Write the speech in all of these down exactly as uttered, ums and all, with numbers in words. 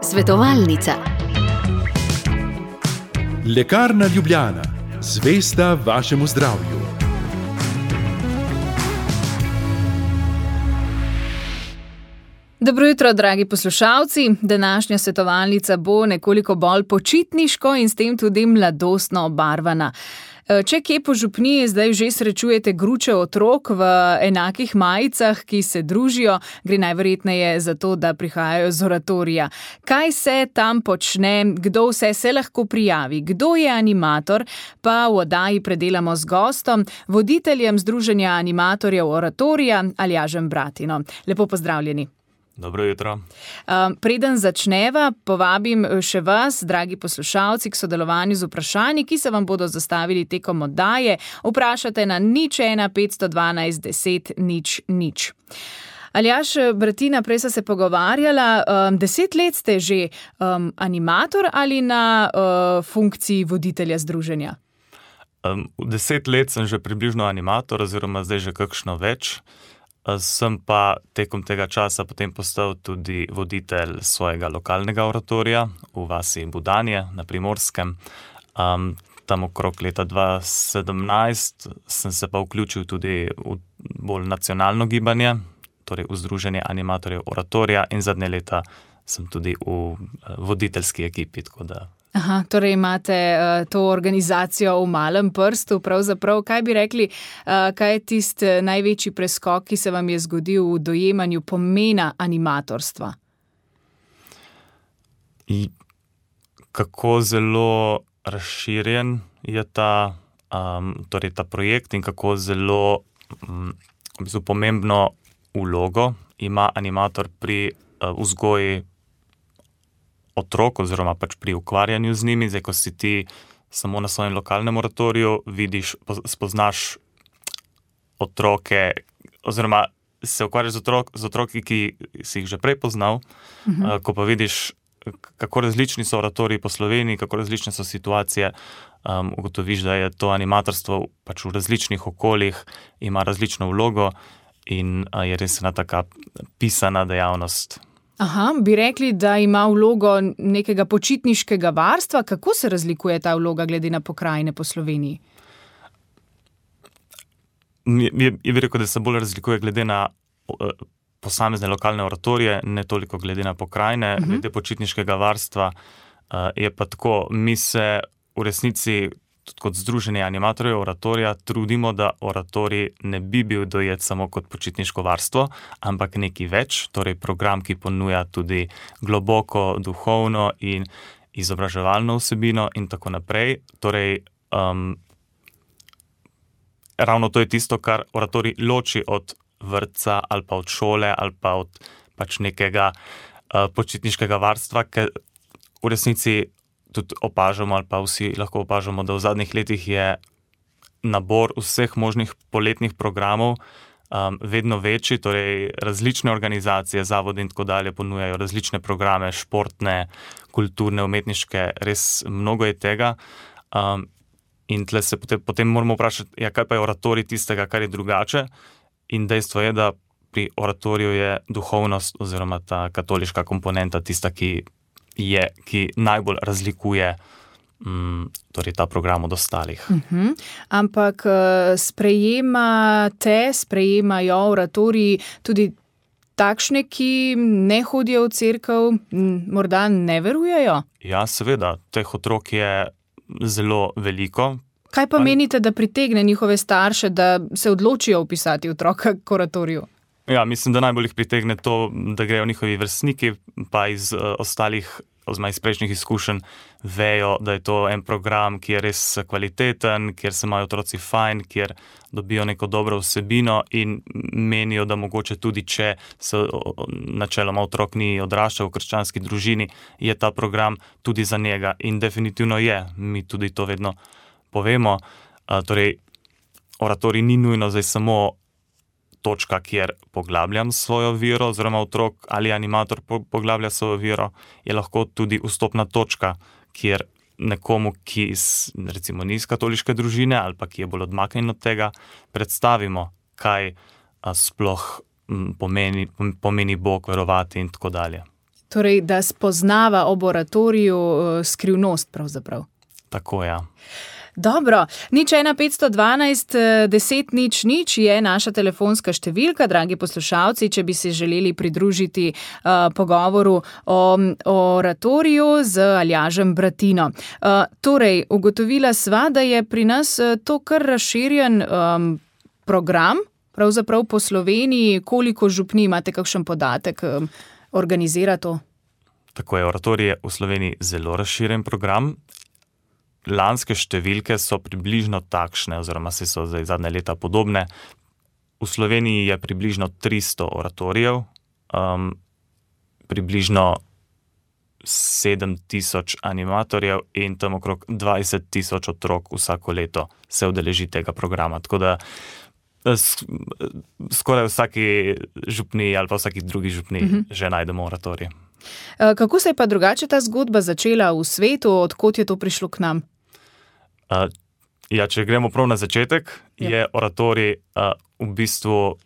Svetovalnica. Lekarna Ljubljana, zvesta vašemu zdravju. Dobro jutro, dragi poslušalci. Današnja svetovalnica bo nekoliko bolj počitniško in s tem tudi mladostno obarvana. Če kje po župniji zdaj že srečujete gruče otrok v enakih majicah, ki se družijo, gre najverjetneje za to, da prihajajo z oratorija. Kaj se tam počne, kdo vse se lahko prijavi, kdo je animator, pa v oddaji predelamo z gostom, voditeljem Združenja animatorjev oratorija Aljažem Bratino. Lepo pozdravljeni. Dobro jutro. Um, preden začneva, povabim še vas, dragi poslušalci, k sodelovanju z vprašanji, ki se vam bodo zastavili tekom oddaje. Vprašate na nič ena petsto dvanajst deset nič nič. Aljaž, Bratina, prej sta se pogovarjala, um, deset let ste že um, animator ali na uh, funkciji voditelja združenja? Um, deset let sem že približno animator, oziroma zdaj že kakšno več. Sem pa tekom tega časa potem postal tudi voditelj svojega lokalnega oratorija v vasi Budanje na Primorskem. Um, tam okrog leta dva tisoč sedemnajst sem se pa vključil tudi v bolj nacionalno gibanje, torej v Združenje animatorjev oratorija, in zadnje leta sem tudi v voditeljski ekipi, tako da. Aha, torej imate uh, to organizacijo v malem prstu, pravzaprav. Kaj bi rekli, uh, kaj je tisti največji preskok, ki se vam je zgodil v dojemanju pomena animatorstva? I, kako zelo razširjen je ta, um, torej ta projekt in kako zelo um, v bistvu pomembno vlogo ima animator pri uh, vzgoji otrok oziroma pač pri ukvarjanju z njimi. Zdaj, ko si ti samo na svojem lokalnem oratoriju, vidiš, spoznaš otroke oziroma se ukvarjaš z, otrok, z otroki, ki si jih že prej poznal, uh-huh. Ko pa vidiš, kako različni so oratoriji po Sloveniji, kako različne so situacije, um, ugotoviš, da je to animatorstvo pač v različnih okoljih, ima različno vlogo in uh, je res ena taka pisana dejavnost. Aha, bi rekli, da ima vlogo nekega počitniškega varstva. Kako se razlikuje ta vloga glede na pokrajine po Sloveniji? Je, je bi rekel, da se bolj razlikuje glede na uh, posamezne lokalne oratorije, ne toliko glede na pokrajine. Uh-huh. Glede počitniškega varstva uh, je pa tako, mi se v resnici tudi kot Združenje animatorjev oratorija trudimo, da oratorij ne bi bil dojet samo kot počitniško varstvo, ampak nekaj več, torej program, ki ponuja tudi globoko duhovno in izobraževalno vsebino in tako naprej. Torej, um, ravno to je tisto, kar oratorij loči od vrtca ali pa od šole ali pa od pač nekega uh, počitniškega varstva, ker v resnici tudi opažamo ali pa vsi lahko opažamo, da v zadnjih letih je nabor vseh možnih poletnih programov um, vedno večji, torej različne organizacije, zavodi in tako dalje ponujajo različne programe, športne, kulturne, umetniške, res mnogo je tega. Um, in tle se potem, potem moramo vprašati, ja, kaj pa je oratorij tistega, kar je drugače, in dejstvo je, da pri oratoriju je duhovnost oziroma ta katoliška komponenta tista, ki je, ki najbolj razlikuje um, torej ta program od ostalih. Uh-huh. Ampak sprejemate, sprejemajo oratoriji tudi takšne, ki ne hodijo v cerkev, morda ne verujejo? Ja, seveda, teh otrok je zelo veliko. Kaj pa menite, da pritegne njihove starše, da se odločijo vpisati otroka k oratoriju? Ja, mislim, da najbolj jih pritegne to, da grejo njihovi vrstniki, pa iz uh, ostalih, oziroma iz prejšnjih izkušenj, vejo, da je to en program, ki je res kvaliteten, kjer se imajo otroci fajn, kjer dobijo neko dobro vsebino in menijo, da mogoče tudi, če se načeloma otrok ni odraščal v krščanski družini, je ta program tudi za njega. In definitivno je, mi tudi to vedno povemo. Uh, torej, oratorij ni nujno zdaj samo točka, kjer poglabljam svojo vero, oziroma otrok ali animator poglablja svojo vero, je lahko tudi vstopna točka, kjer nekomu, ki recimo ni iz katoliške družine ali pa ki je bolj odmaknjen od tega, predstavimo, kaj sploh pomeni, pomeni Bog, verovati in tako dalje. Torej, da spoznava ob oratoriju skrivnost pravzaprav. Tako, ja. Dobro, nič ena petsto dvanajst deset nič nič je naša telefonska številka, dragi poslušalci, če bi se želeli pridružiti uh, pogovoru o, o oratoriju z Aljažem Bratino. Uh, torej, ugotovila sva, da je pri nas to kar razširjen um, program, pravzaprav po Sloveniji, koliko župni, imate kakšen podatek, um, organizira to? Tako je, oratorij je v Sloveniji zelo razširjen program. Lanske številke so približno takšne, oziroma se so zdaj zadnje leta podobne. V Sloveniji je približno tristo oratorijev, um, približno sedem tisoč animatorjev in tam okrog dvajset tisoč otrok vsako leto se udeleži tega programa. Tako da skoraj vsaki župni ali pa vsaki drugi župni uh-huh. že najdemo oratorij. Kako se je pa drugače ta zgodba začela v svetu, odkot je to prišlo k nam? Uh, ja, če gremo prav na začetek, ja. je oratorij uh, v bistvu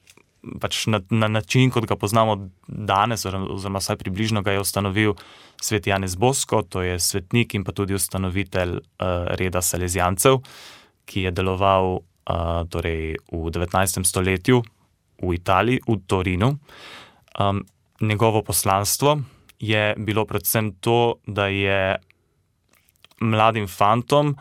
pač na, na način, kot ga poznamo danes, oziroma vsaj približno ga je ustanovil svet Janez Bosko, to je svetnik in pa tudi ustanovitelj uh, reda Salezijancev, ki je deloval uh, torej v devetnajstem stoletju v Italiji, v Torinu. Um, njegovo poslanstvo je bilo predvsem to, da je mladim fantom,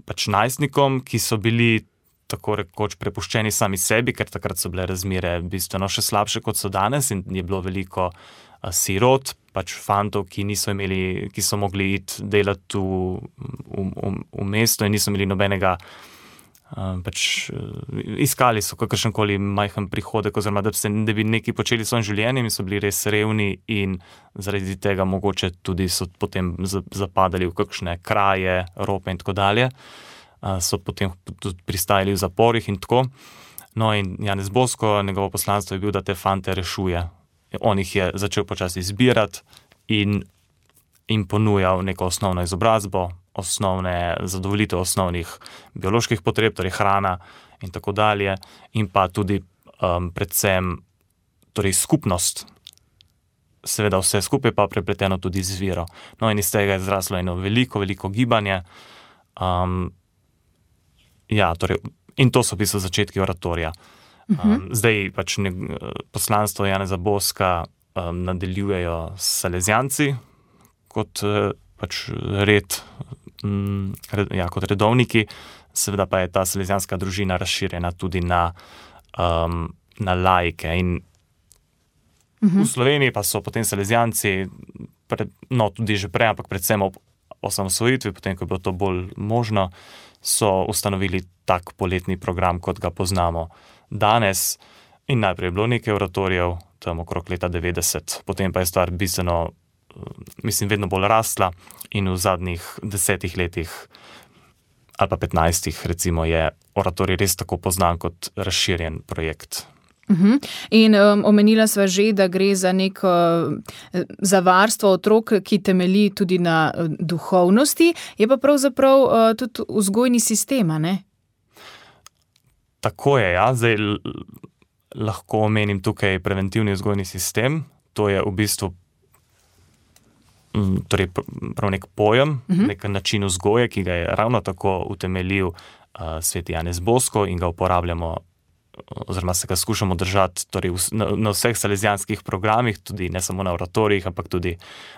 pač najstnikom, ki so bili tako rekoč prepuščeni sami sebi, ker takrat so bile razmere bistveno še slabše, kot so danes in je bilo veliko a, sirot, pač fantov, ki niso imeli, ki so mogli iti delati v, v, v, v mesto in niso imeli nobenega, a, pač iskali so kakršenkoli majhen prihodek, oziroma da, se, da bi nekaj počeli s svojim življenjem in so bili res revni in zaradi tega mogoče tudi so potem zapadali v kakšne kraje, rope in tako dalje. So potem tudi pristajali v zaporih in tako. No in Janez Bosko, njegovo poslanstvo je bil, da te fante rešuje. On jih je začel počasi zbirati in, in ponujal neko osnovno izobrazbo, osnovne zadovoljitev osnovnih bioloških potreb, torej hrana in tako dalje, in pa tudi um, predvsem torej skupnost. Seveda vse skupaj pa prepleteno tudi z vero. No in iz tega je zraslo eno veliko, veliko gibanje. Um, Ja, torej, in to so v bistvu začetki oratorija. Um, zdaj pač ne, poslanstvo Janeza Boska um, nadaljujejo Salezijanci kot uh, pač red, um, red, ja, kot redovniki, seveda pa je ta salezijanska družina razširjena tudi na, um, na laike. In uh-huh. v Sloveniji pa so potem Salezijanci, pred, no tudi že prej, ampak predvsem ob osamosvojitvi, potem ko je bilo to bolj možno, so ustanovili tak poletni program, kot ga poznamo danes. In najprej je bilo nekaj oratorijev, tam okrog leta devetdeset, potem pa je stvar bistveno, mislim, vedno bolj rasla in v zadnjih desetih letih ali pa petnajstih recimo je oratorij res tako poznan kot razširjen projekt. Uh-huh. In um, omenila sva že, da gre za neko za varstvo otrok, ki temelji tudi na uh, duhovnosti, je pa pravzaprav uh, tudi vzgojni sistem, ne? Tako je, ja. Zdaj l- lahko omenim tukaj preventivni vzgojni sistem. To je v bistvu m, torej prav nek pojem, uh-huh. nek način vzgoje, ki ga je ravno tako utemeljil uh, svet Janez Bosko in ga uporabljamo oziroma se ga skušamo držati torej na, na vseh salezijanskih programih, tudi ne samo na oratorijih, ampak tudi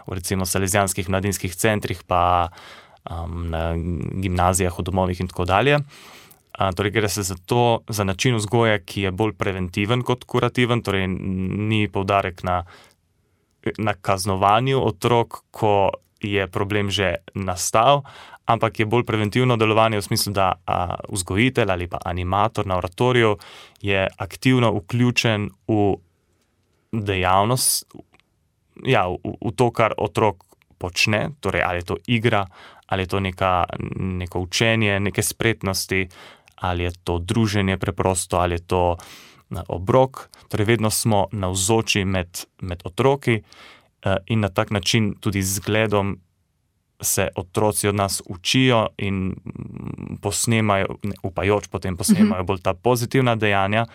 v recimo salezijanskih mladinskih centrih, pa um, na gimnazijah, v domovih in tako dalje. A, torej gre se za to, za način vzgoje, ki je bolj preventiven kot kurativen, torej ni poudarek na, na kaznovanju otrok, ko je problem že nastal, ampak je bolj preventivno delovanje v smislu, da a, vzgojitelj ali pa animator na oratoriju je aktivno vključen v dejavnost, ja, v, v to, kar otrok počne, torej ali je to igra, ali je to neka, neko učenje, neke spretnosti, ali je to druženje preprosto, ali je to obrok. Torej vedno smo navzoči med, med otroki in na tak način tudi z zgledom se otroci od nas učijo in posnemajo, upajoč potem posnemajo bolj ta pozitivna dejanja,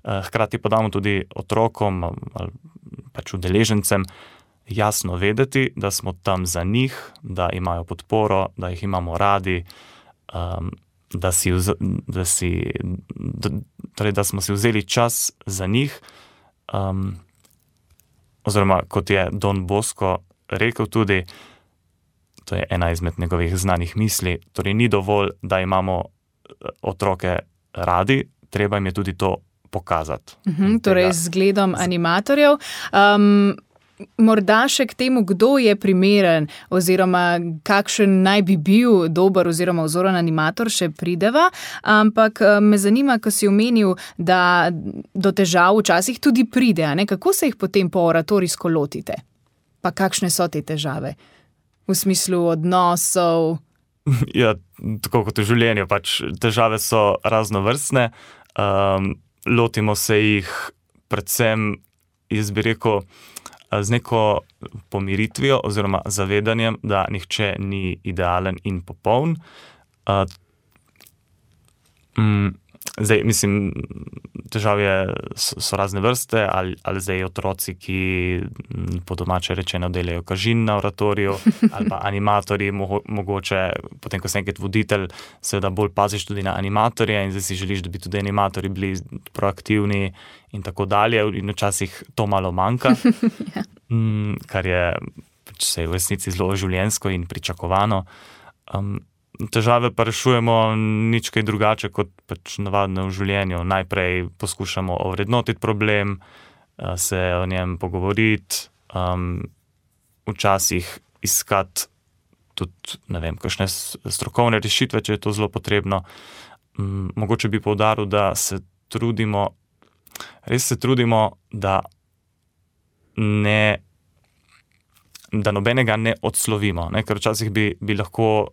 hkrati pa damo tudi otrokom ali pač udeležencem jasno vedeti, da smo tam za njih, da imajo podporo, da jih imamo radi, um, da, si vz, da, si, da, torej, da smo si vzeli čas za njih. Um, oziroma, kot je Don Bosco rekel tudi, to je ena izmed njegovih znanih misli, torej ni dovolj, da imamo otroke radi, treba jim je tudi to pokazati. Uhum, torej z zgledom animatorjev. Um, morda še k temu, kdo je primeren oziroma kakšen naj bi bil dober oziroma vzoren animator, še prideva, ampak me zanima, ko si omenil, da do težav včasih tudi pride, a ne? Kako se jih potem po oratorijsko lotite? Pa kakšne so te težave? V smislu odnosov? Ja, tako kot v življenju, pač težave so raznovrstne. Um, lotimo se jih predvsem, jaz bi rekel, z neko pomiritvijo oziroma zavedanjem, da nihče ni idealen in popoln. Uh, mm, zdaj, mislim, težave so, so razne vrste, ali, ali zdaj otroci, ki po domače rečeno delajo kažin na oratoriju, ali pa animatorji, mo mogoče, potem ko si enkrat voditelj, seveda bolj paziš tudi na animatorje in zdaj si želiš, da bi tudi animatorji bili proaktivni in tako dalje, in včasih to malo manjka, ja. mm, kar je se v resnici zelo življenjsko in pričakovano. Um, Težave pa rešujemo nič kaj drugače kot pač navadno v življenju. Najprej poskušamo ovrednotiti problem, se o njem pogovoriti, um, včasih iskati tudi, ne vem, kakšne strokovne rešitve, če je to zelo potrebno. Um, mogoče bi poudaril, da se trudimo, res se trudimo, da ne, da nobenega ne odslovimo, ne? Ker včasih bi, bi lahko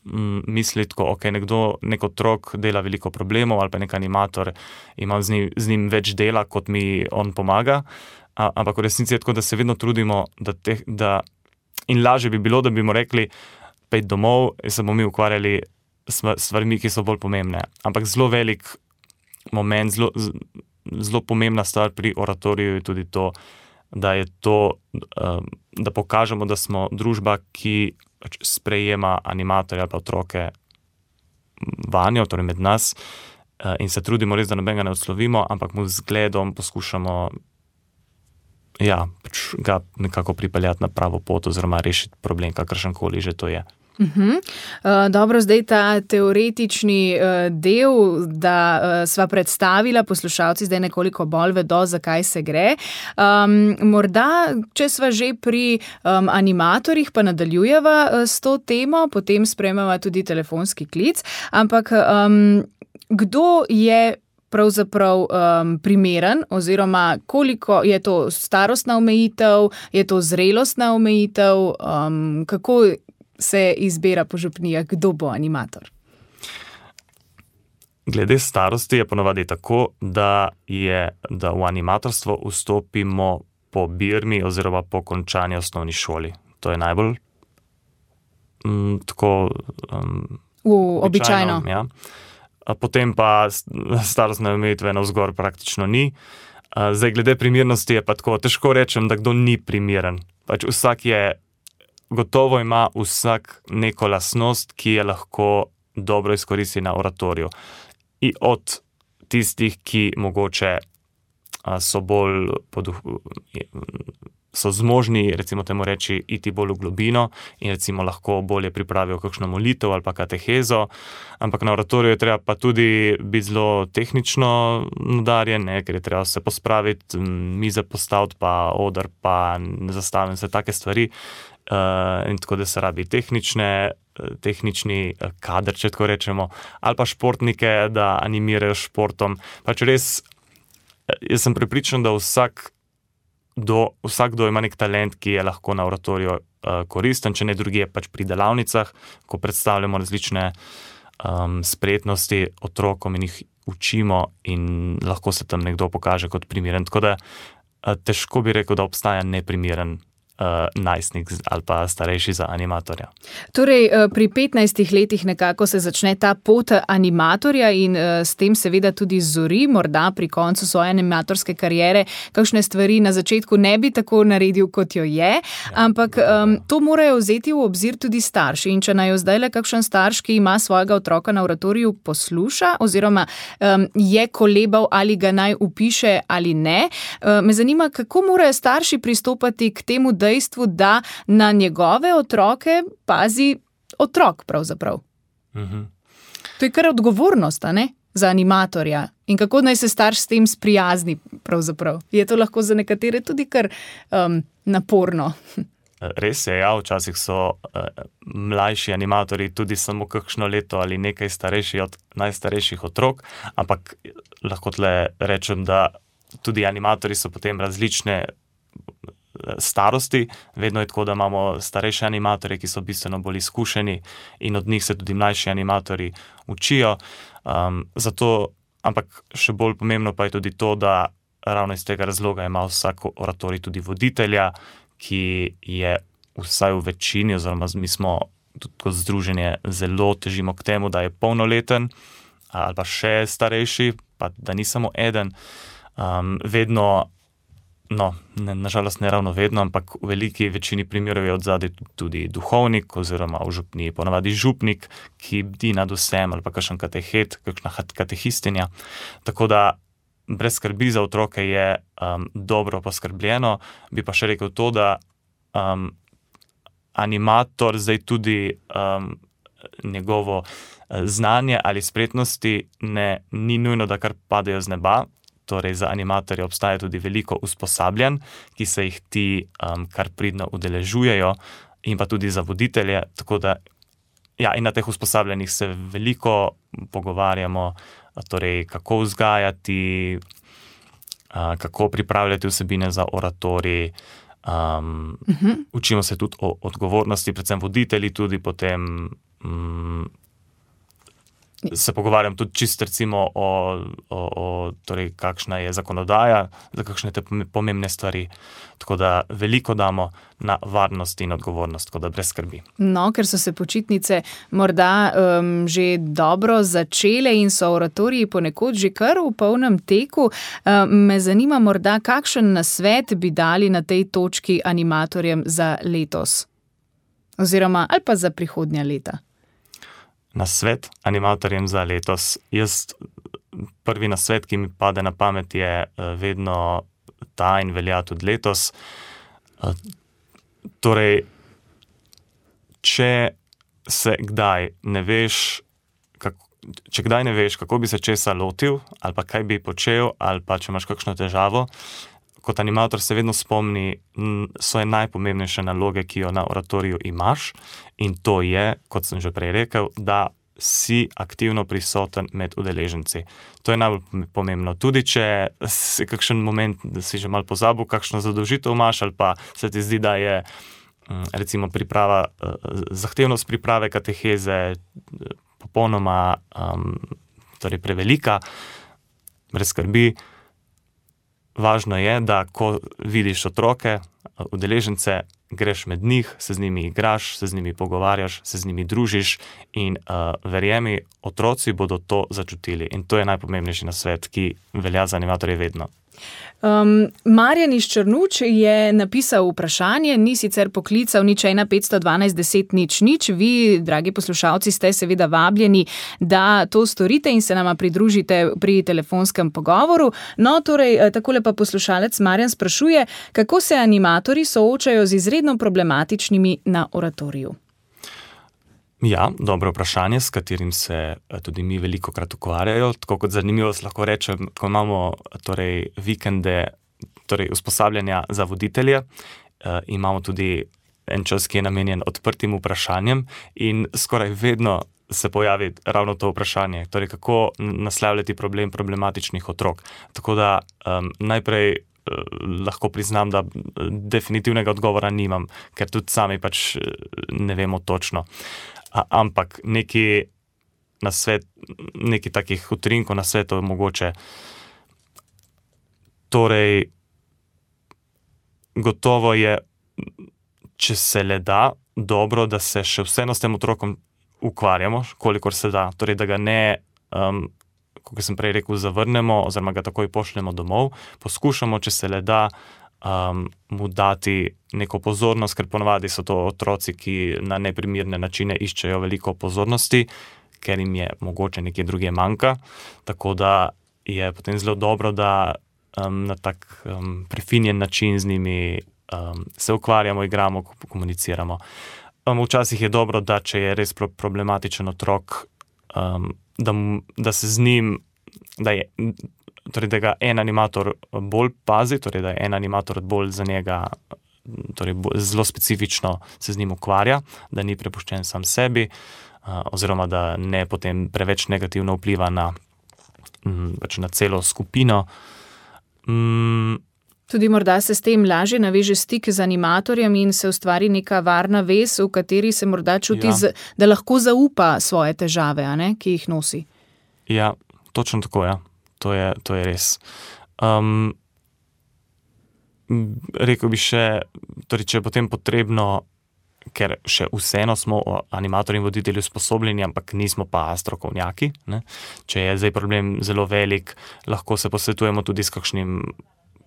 misli tako, ok, nekdo, nek otrok dela veliko problemov ali pa nek animator ima z njim, z njim več dela, kot mi on pomaga, A, ampak v resnici je tako, da se vedno trudimo, da, te, da in lažje bi bilo, da bi mu rekli, pejdi domov in se bomo mi ukvarjali s stvarmi, ki so bolj pomembne. Ampak zelo velik moment, zelo, zelo pomembna stvar pri oratoriju je tudi to, da je to, da pokažemo, da smo družba, ki sprejema animatorje ali pa otroke vanjo, torej med nas, in se trudimo res, da nobenega ne odslovimo, ampak mu z zgledom poskušamo ja, pač ga nekako pripeljati na pravo pot oziroma rešiti problem, kakršenkoli že to je. Uhum. Uh, dobro, zdaj ta teoretični uh, del, da uh, sva predstavila, poslušalci zdaj nekoliko bolj vedo, zakaj se gre. Um, morda, če sva že pri um, animatorjih, pa nadaljujeva uh, s to temo, potem sprejmeva tudi telefonski klic, ampak um, kdo je pravzaprav um, primeren oziroma koliko je to starostna omejitev, je to zrelostna omejitev, um, kako se izbira po župnijah, kdo bo animator? Glede starosti je ponovadi tako, da, je, da v animatorstvo vstopimo po birmi oziroma po končani osnovni šoli. To je najbolj m, tako um, v, običajno. Ja. Potem pa starostne omejitve navzgor praktično ni. Zdaj, glede primernosti je pa tako, težko rečem, da kdo ni primeren. Pač vsak je Gotovo ima vsak neko lastnost, ki je lahko dobro izkoristi na oratoriju. In od tistih, ki mogoče so bolj poduh, so zmožni, recimo temu reči, iti bolj v globino in recimo lahko bolje pripravijo kakšno molitev ali pa katehezo, ampak na oratoriju je treba pa tudi biti zelo tehnično nadarjen, ne, ker je treba se pospraviti, mize postaviti, pa oder, pa zastaviti vse take stvari. Uh, in tako da se rabi tehnične, tehnični kader, če tako rečemo, ali pa športnike, da animirajo športom. Pač res, jaz sem prepričan, da vsak do, vsakdo ima nek talent, ki je lahko na oratoriju uh, koristen, če ne drugje pač pri delavnicah, ko predstavljamo različne um, spretnosti otrokom in jih učimo in lahko se tam nekdo pokaže kot primeren. Tako da uh, težko bi rekel, da obstaja neprimeren uh, najstnik ali pa starejši za animatorja. Torej, pri petnajstih letih nekako se začne ta pot animatorja in s tem seveda tudi zori, morda pri koncu svoje animatorske kariere, kakšne stvari na začetku ne bi tako naredil, kot jo je, ampak um, to morajo vzeti v obzir tudi starši. In če naj jo zdaj le kakšen starš, ki ima svojega otroka na oratoriju, posluša oziroma um, je kolebal, ali ga naj upiše ali ne, um, me zanima, kako morajo starši pristopati k temu dejstvu, da na njegove otroke pazi otrok pravzaprav. Mhm. To je kar odgovornost, a ne, za animatorja. In kako naj se starš s tem sprijazni pravzaprav? Je to lahko za nekatere tudi kar um, naporno? Res je, ja, včasih so uh, mlajši animatorji tudi samo kakšno leto ali nekaj starejši od najstarejših otrok, ampak lahko tle rečem, da tudi animatorji so potem različne starosti. Vedno je tako, da imamo starejše animatorje, ki so bistveno bolj izkušeni in od njih se tudi mlajši animatorji učijo. Um, zato, ampak še bolj pomembno pa je tudi to, da ravno iz tega razloga ima vsak oratorij tudi voditelja, ki je vsaj v večini, oziroma mi smo tudi kot združenje zelo težimo k temu, da je polnoleten ali pa še starejši, pa da ni samo eden. Um, vedno No, ne, nažalost ne ravno vedno, ampak v veliki večini primerov je odzadaj tudi duhovnik oziroma v župniji ponavadi župnik, ki bdi nad vsem, ali pa kakšen katehet, kakšna katehistinja. Tako da brez skrbi za otroke je um, dobro poskrbljeno. Bi pa še rekel to, da um, animator zdaj tudi um, njegovo znanje ali spretnosti ne, ni nujno, da kar padejo z neba. Torej za animatorje obstaja tudi veliko usposabljanj, ki se jih ti um, kar pridno udeležujejo, in pa tudi za voditelje. Tako da, ja, in na teh usposabljanjih se veliko pogovarjamo, torej kako vzgajati, uh, kako pripravljati vsebine za oratorij. Um, uh-huh. Učimo se tudi o odgovornosti, predvsem voditelji tudi potem. Um, Se pogovarjam tudi čisto recimo o, o, o torej, kakšna je zakonodaja za kakšne te pomembne stvari. Tako da veliko damo na varnost in odgovornost, tako da brez skrbi. No, ker so se počitnice morda um, že dobro začele in so oratoriji ponekod že kar v polnem teku, um, me zanima morda, kakšen nasvet bi dali na tej točki animatorjem za letos? Oziroma, ali pa za prihodnja leta? Nasvet animatorjem za letos. Jaz, prvi nasvet, ki mi pade na pamet, je vedno ta in velja tudi letos. Torej, če se kdaj ne veš, kako, če kdaj ne veš, kako bi se česa lotil, ali pa kaj bi počel, ali pa če imaš kakšno težavo, kot animator se vedno spomni svoje najpomembnejše naloge, ki jo na oratoriju imaš, in to je, kot sem že prej rekel, da si aktivno prisoten med udeleženci. To je najbolj pomembno. Tudi če si kakšen moment, da si že malo pozabil, kakšno zadolžitev imaš, ali pa se ti zdi, da je recimo priprava, zahtevnost priprave kateheze popolnoma um, torej prevelika, brez skrbi. Važno je, da ko vidiš otroke, udeležence, greš med njih, se z njimi igraš, se z njimi pogovarjaš, se z njimi družiš in uh, verjemi, otroci bodo to začutili. In to je najpomembnejši nasvet, ki velja za animatorje vedno. Um, Marjan iz Črnuč je napisal vprašanje, ni sicer poklical nič ena petsto dvanajst deset nič nič. Vi, dragi poslušalci, ste seveda vabljeni, da to storite in se nama pridružite pri telefonskem pogovoru. No, torej, takole pa poslušalec Marjan sprašuje, kako se animatorji soočajo z izredno problematičnimi na oratoriju. Ja, dobro vprašanje, s katerim se tudi mi veliko krat ukvarjajo. Tako kot zanimivost lahko rečem, ko imamo torej, vikende, torej usposabljanja za voditelje, eh, imamo tudi en čas, ki je namenjen odprtim vprašanjem in skoraj vedno se pojavi ravno to vprašanje, torej kako naslavljati problem problematičnih otrok. Tako da um, najprej lahko priznam, da definitivnega odgovora nimam, ker tudi sami pač ne vemo točno. A, ampak neki nasvet, neki takih utrinkov nasvetov mogoče. Torej, gotovo je če se le da, dobro, da se še vseeno s tem otrokom ukvarjamo, kolikor se da. Torej, da ga ne, um, kot sem prej rekel, zavrnemo oziroma ga takoj pošljemo domov. Poskušamo, če se le da, um, mu dati neko pozornost, ker ponavadi so to otroci, ki na neprimirne načine iščejo veliko pozornosti, ker jim je mogoče nekje druge manjka. Tako da je potem zelo dobro, da um, na tak um, prefinjen način z njimi um, se ukvarjamo, igramo, komuniciramo. Um, včasih je dobro, da če je res problematičen otrok, um, da, da se z njim, da, je, torej, da ga en animator bolj pazi, torej, da je en animator bolj za njega, torej, zelo specifično se z njim ukvarja, da ni prepuščen sam sebi, uh, oziroma da ne potem preveč negativno vpliva na, um, pač na celo skupino. Um, Tudi morda se s tem lažje naveže stik z animatorjem in se ustvari neka varna vez, v kateri se morda čuti, ja. z, da lahko zaupa svoje težave, a ne, ki jih nosi. Ja, točno tako, ja. To je, to je res. Um, rekel bi še, torej, če je potem potrebno, ker še vseeno smo animatorji in voditelji usposobljeni, ampak nismo pa strokovnjaki, ne? Če je zdaj problem zelo velik, lahko se posvetujemo tudi s kakšnim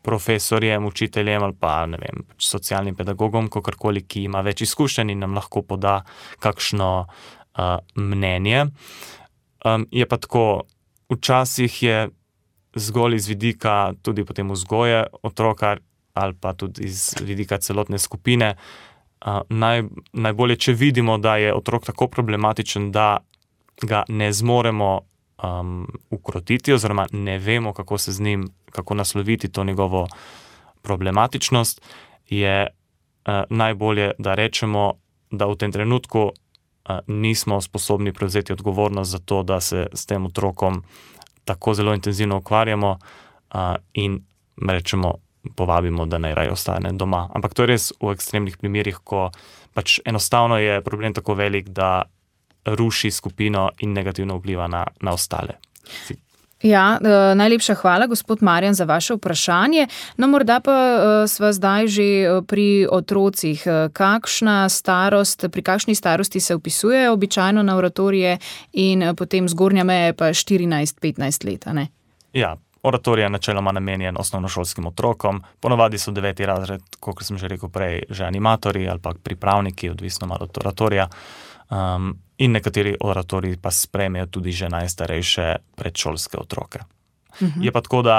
profesorjem, učiteljem ali pa, ne vem, socialnim pedagogom, kakorkoli, ki ima več izkušenj in nam lahko poda kakšno uh, mnenje. Um, je pa tako, včasih je zgolj iz vidika tudi potem vzgoje otroka ali pa tudi iz vidika celotne skupine, uh, naj, najbolje, če vidimo, da je otrok tako problematičen, da ga ne zmoremo Um, ukrotiti oziroma ne vemo, kako se z njim, kako nasloviti to njegovo problematičnost, je uh, najbolje, da rečemo, da v tem trenutku uh, nismo sposobni prevzeti odgovornost za to, da se s tem otrokom tako zelo intenzivno ukvarjamo uh, in rečemo, povabimo, da naj raje ostane doma. Ampak to je res v ekstremnih primerih, ko pač enostavno je problem tako velik, da ruši skupino in negativno vpliva na, na ostale. Ja, eh, najlepša hvala, gospod Marjan, za vaše vprašanje. No, morda pa eh, sva zdaj že pri otrocih. Kakšna starost, pri kakšni starosti se vpisujejo običajno na oratorije in potem zgornja meja pa štirinajst petnajst let, a ne? Ja, oratorij je načeloma namenjen osnovnošolskim otrokom. Ponovadi so deveti razred, kot sem že rekel prej, že animatorji ali pa pripravniki, odvisno malo od oratorija. Um, in nekateri oratoriji pa sprejmejo tudi že najstarejše predšolske otroke. Uh-huh. Je pa tako, da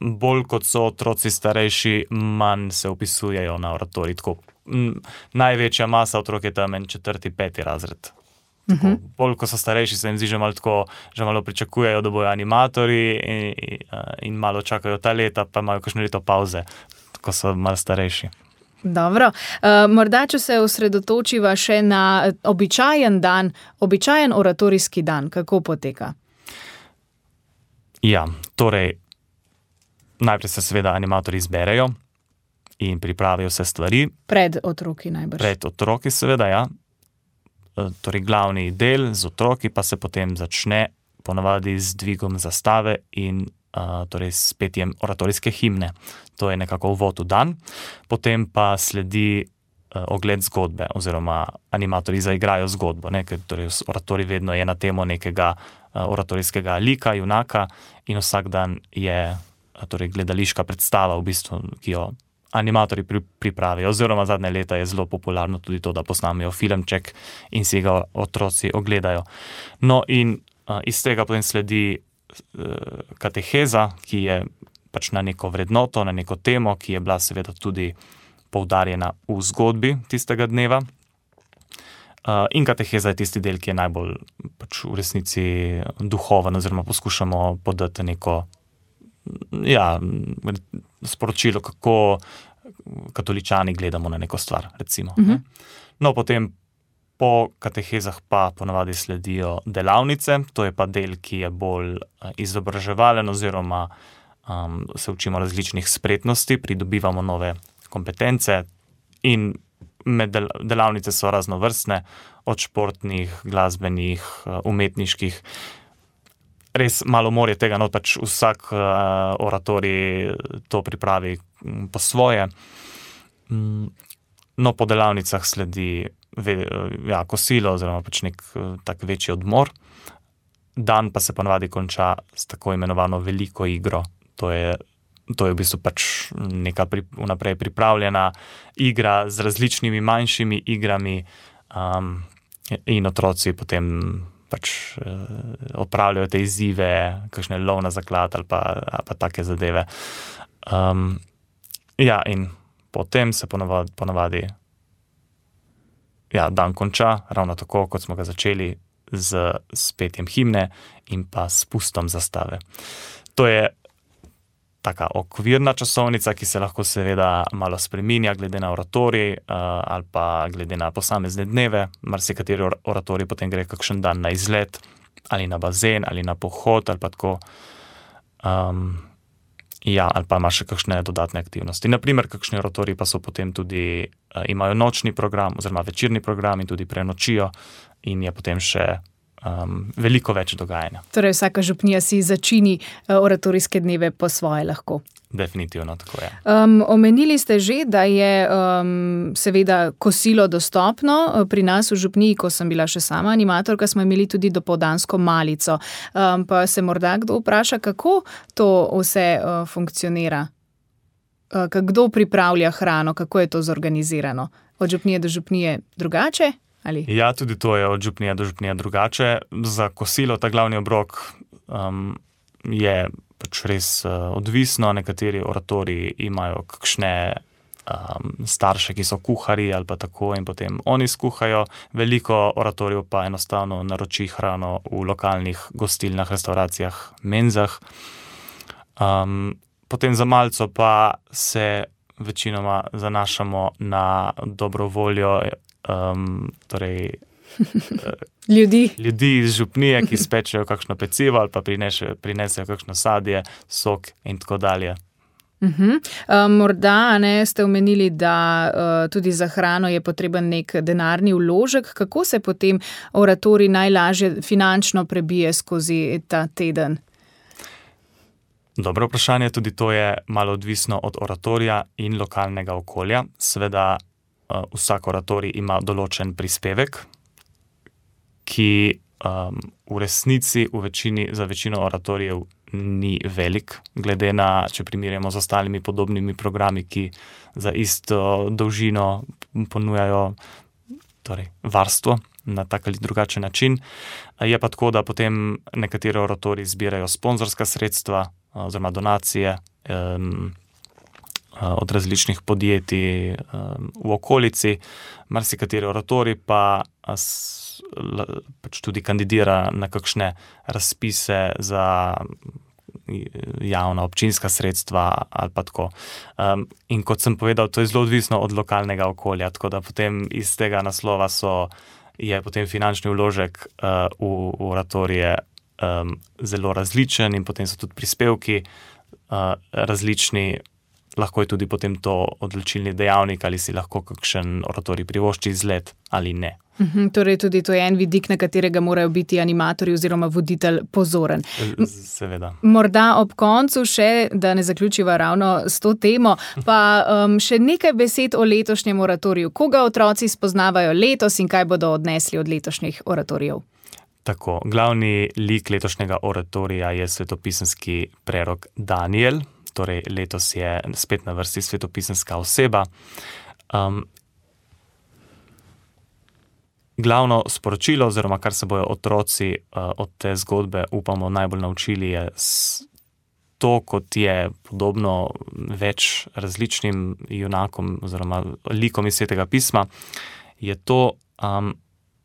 bolj kot so otroci starejši, manj se vpisujejo na oratorij. Tako, m, največja masa otrok je tam en četrti, peti razred. Tako, uh-huh. Bolj kot so starejši, se jim zdi že malo tako, že malo pričakujejo, da bojo animatorji in, in, in malo čakajo ta leta, pa imajo kakšno leto pauze, ko so malo starejši. Dobro, uh, morda, če se osredotočiva še na običajen dan, običajen oratorijski dan, kako poteka? Ja, torej, najprej se seveda animatorji zberejo in pripravijo vse stvari. Pred otroki najbrž. Pred otroki seveda, ja. Torej, glavni del z otroki pa se potem začne ponavadi z dvigom zastave in Uh, torej s petjem oratorijske himne. To je nekako uvod v dan. Potem pa sledi uh, ogled zgodbe, oziroma animatorji zaigrajo zgodbo, ne? Ker torej oratorij vedno je na temo nekega uh, oratorijskega lika, junaka in vsak dan je uh, torej gledališka predstava, v bistvu, ki jo animatorji pri, pripravijo. Oziroma zadnje leta je zelo popularno tudi to, da posnamejo filmček in si ga otroci ogledajo. No in uh, iz tega potem sledi kateheza, ki je pač na neko vrednoto, na neko temo, ki je bila seveda tudi poudarjena v zgodbi tistega dneva. In kateheza je tisti del, ki je najbolj pač v resnici duhoven, oziroma poskušamo podati neko ja, sporočilo, kako katoličani gledamo na neko stvar, recimo. Uh-huh. No, potem po katehezah pa ponavadi sledijo delavnice, to je pa del, ki je bolj izobraževalen oziroma um, se učimo različnih spretnosti, pridobivamo nove kompetence in med del- delavnice so raznovrstne, od športnih, glasbenih, umetniških. Res malo morje tega, no pač vsak uh, oratorij to pripravi po svoje. Um, no, po delavnicah sledi ve, ja, kosilo oziroma pač nek tak večji odmor. Dan pa se ponavadi konča s tako imenovano veliko igro. To je, to je v bistvu pač neka pri, vnaprej pripravljena igra z različnimi manjšimi igrami um, in otroci potem pač uh, opravljajo te izzive, kakšne lov na zaklad ali pa, ali pa take zadeve. Um, ja, in potem se ponavadi, ponavadi ja, dan konča, ravno tako, kot smo ga začeli, z, z petjem himne in pa s spustom zastave. To je taka okvirna časovnica, ki se lahko seveda malo spreminja glede na oratorij uh, ali pa glede na posamezne dneve. Marsikateri oratorij potem gre kakšen dan na izlet ali na bazen ali na pohod ali pa tako. Um, Ja, ali pa ima še kakšne dodatne aktivnosti. Naprimer, kakšni oratoriji pa so potem tudi, uh, imajo nočni program oziroma večerni program in tudi prenočijo in je potem še um, veliko več dogajanja. Torej vsaka župnija si začini uh, oratorijske dneve po svoje lahko. Definitivno, tako je. Um, omenili ste že, da je um, seveda kosilo dostopno. Pri nas v župniji, ko sem bila še sama animatorka, smo imeli tudi dopoldansko malico. Um, pa se morda kdo vpraša, kako to vse uh, funkcionira? Uh, kdo pripravlja hrano, kako je to zorganizirano? Od župnije do župnije drugače? Ali? Ja, tudi to je od župnije do župnije drugače. Za kosilo ta glavni obrok um, je pač res uh, odvisno. Nekateri oratoriji imajo kakšne um, starše, ki so kuhari ali pa tako in potem oni skuhajo. Veliko oratorijev pa enostavno naroči hrano v lokalnih gostilnah, restauracijah, menzah. Um, potem za malico pa se večinoma zanašamo na dobro voljo um, torej Ljudi. ljudi iz župnije, ki spečejo kakšno pecivo ali pa prinesejo, prinesejo kakšno sadje, sok in tako dalje. Uh-huh. Uh, morda ne, ste omenili, da uh, tudi za hrano je potreben nek denarni vložek. Kako se potem oratorij najlažje finančno prebije skozi ta teden? Dobro vprašanje, tudi to je malo odvisno od oratorija in lokalnega okolja. Seveda uh, vsak oratorij ima določen prispevek, ki um, v resnici v večini, za večino oratorijev ni velik, glede na, če primerjamo z ostalimi podobnimi programi, ki za isto dolžino ponujajo torej, varstvo na tak ali drugačen način. Je pa tako, da potem nekateri oratoriji zbirajo sponzorska sredstva oziroma donacije um, od različnih podjetij um, v okolici. Marsikateri oratorij pa s, pač tudi kandidira na kakšne razpise za javna občinska sredstva ali pa tako. Um, in kot sem povedal, to je zelo odvisno od lokalnega okolja, tako da potem iz tega naslova so, je potem finančni vložek uh, v, v oratorije um, zelo različen in potem so tudi prispevki uh, različni. Lahko je tudi potem to odločilni dejavnik, ali si lahko kakšen oratorij privošči izlet ali ne. Uhum, torej tudi to je en vidik, na katerega morajo biti animatorji oziroma voditelj pozoren. Seveda. Morda ob koncu še, da ne zaključiva ravno s to temo, pa um, še nekaj besed o letošnjem oratoriju. Koga otroci spoznavajo letos in kaj bodo odnesli od letošnjih oratorijev? Tako, glavni lik letošnjega oratorija je svetopisemski prerok Daniel. Torej letos je spet na vrsti svetopisemska oseba. Um, glavno sporočilo, oziroma kar se bojo otroci uh, od te zgodbe, upamo, najbolj naučili, je to, kot je podobno več različnim junakom oziroma likom iz Svetega pisma, je to, um,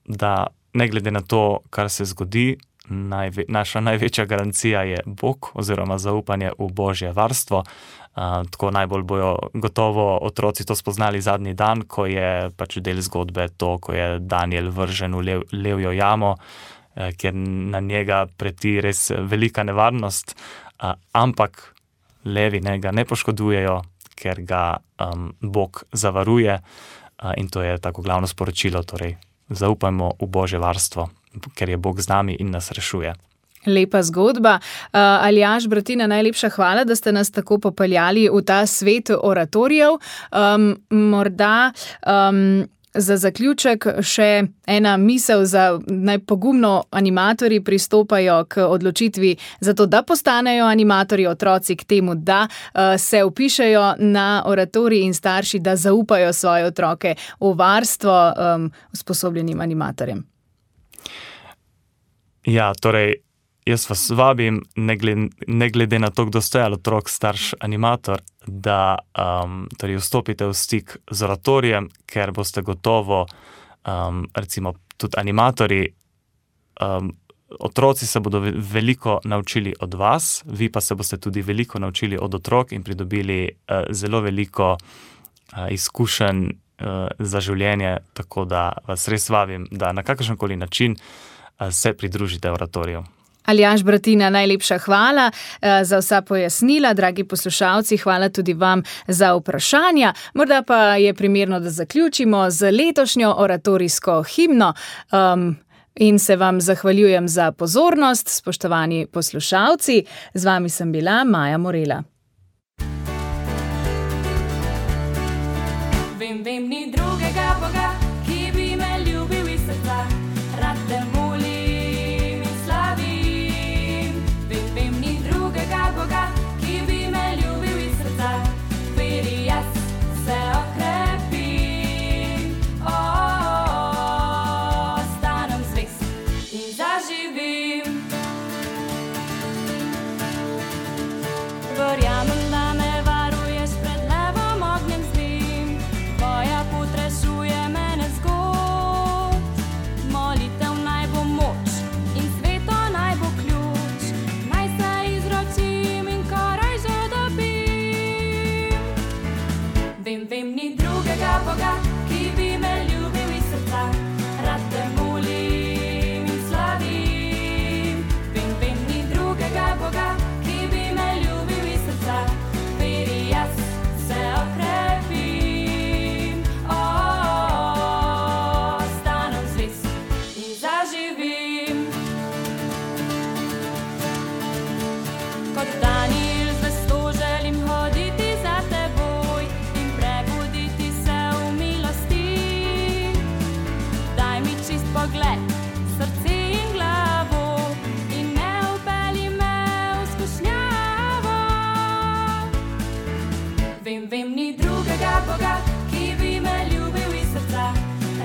da ne glede na to, kar se zgodi, Najve, naša največja garancija je Bog oziroma zaupanje v Božje varstvo. Uh, tako najbolj bojo gotovo otroci to spoznali zadnji dan, ko je pač del zgodbe to, ko je Daniel vržen v lev, levjo jamo, eh, kjer na njega preti res velika nevarnost, uh, ampak levi ne, ga ne poškodujejo, ker ga um, Bog zavaruje uh, in to je tako glavno sporočilo, torej zaupajmo v Božje varstvo, ker je Bog z nami in nas rešuje. Lepa zgodba. Uh, Aljaž, Bratina, najlepša hvala, da ste nas tako popeljali v ta svet oratorijev. Um, morda um, za zaključek še ena misel, za naj pogumno animatorji pristopajo k odločitvi za to, da postanejo animatorji, otroci k temu, da uh, se vpišejo na oratorij in starši, da zaupajo svoje otroke v varstvo um, usposobljenim animatorjem. Ja, torej, jaz vas vabim, ne glede, ne glede na to, kdo ste, ali otrok, starš, animator, da um, torej vstopite v stik z oratorijem, ker boste gotovo, um, recimo tudi animatorji, um, otroci se bodo veliko naučili od vas, vi pa se boste tudi veliko naučili od otrok in pridobili uh, zelo veliko uh, izkušenj uh, za življenje, tako da vas res vabim, da na kakršenkoli način uh, se pridružite oratoriju. Aljaž, Bratina, najlepša hvala za vsa pojasnila. Dragi poslušalci, hvala tudi vam za vprašanja. Morda pa je primerno, da zaključimo z letošnjo oratorijsko himno. Um, in se vam zahvaljujem za pozornost, spoštovani poslušalci. Z vami sem bila Maja Morela. Vem, vem, ni drugega Boga, ki bi me ljubil iz srca, rad te molim in slavim. Vem, vem, ni drugega Boga, ki bi me ljubil iz srca, veri jaz se okrepim. Ostanem zvest in zaživim. Verjamem, da me varuješ pred levom ognjem zlim, tvoja pot rešuje me nezgod. Molitev naj bo moč in sveto naj bo ključ, naj se izročim in koraj že dobim. Vem, vem, ni drugega Boga, ki bi me ljubil iz srca, rad te molim in slavim. Vem, vem, ni drugega Boga, ki bi me ljubil iz srca, veri jaz se okrepim. Ostanem zvest in zaživim. Kot Danijel zvesto želim hoditi za teboj in prebuditi se v milosti. Daj mi čist pogled, srce in glavo in ne vpelji me v skušnjavo. Vem, vem, ni drugega Boga, ki bi me ljubil iz srca,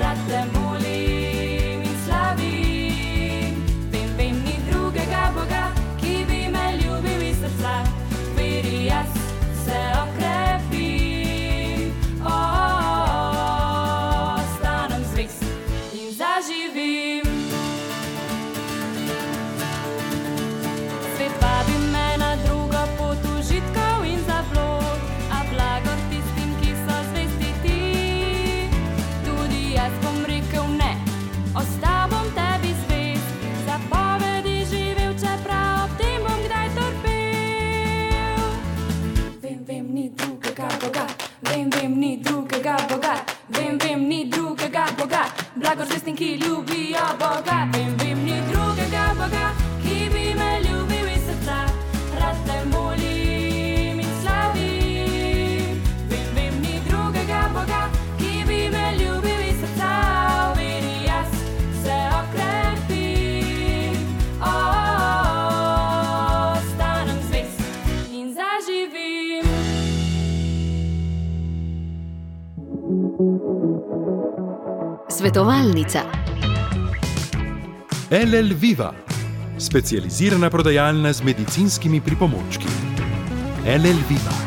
rad te molim in slavim. Vem, vem, ni drugega Boga, ki bi me ljubil iz srca, veri jaz se okrepim. Ostanem zvest in zaživim. Svet vabi me na drugo pot užitkov in zablod, a blagor tistim, ki so zvesti ti. Tudi jaz bom rekel ne, ostal bom tebi zvest, zapovedi živel, čeprav ob tem bom kdaj trpel. Vem, vem, ni drugega Boga, vem, vem, ni drugega Boga, vem, vem, ni drugega Boga, blagor zvestim, ki ljubijo Boga. Vem, vem, ni drugega Boga, ki bi me ljubil iz srca, rad te molim in slavim. Vem, vem, ni drugega Boga, ki bi me ljubil iz srca, veri jaz se okrepim. Ostanem zvest in zaživim. Svetovalnica. L L Viva, specializirana prodajalna z medicinskimi pripomočki. L L Viva.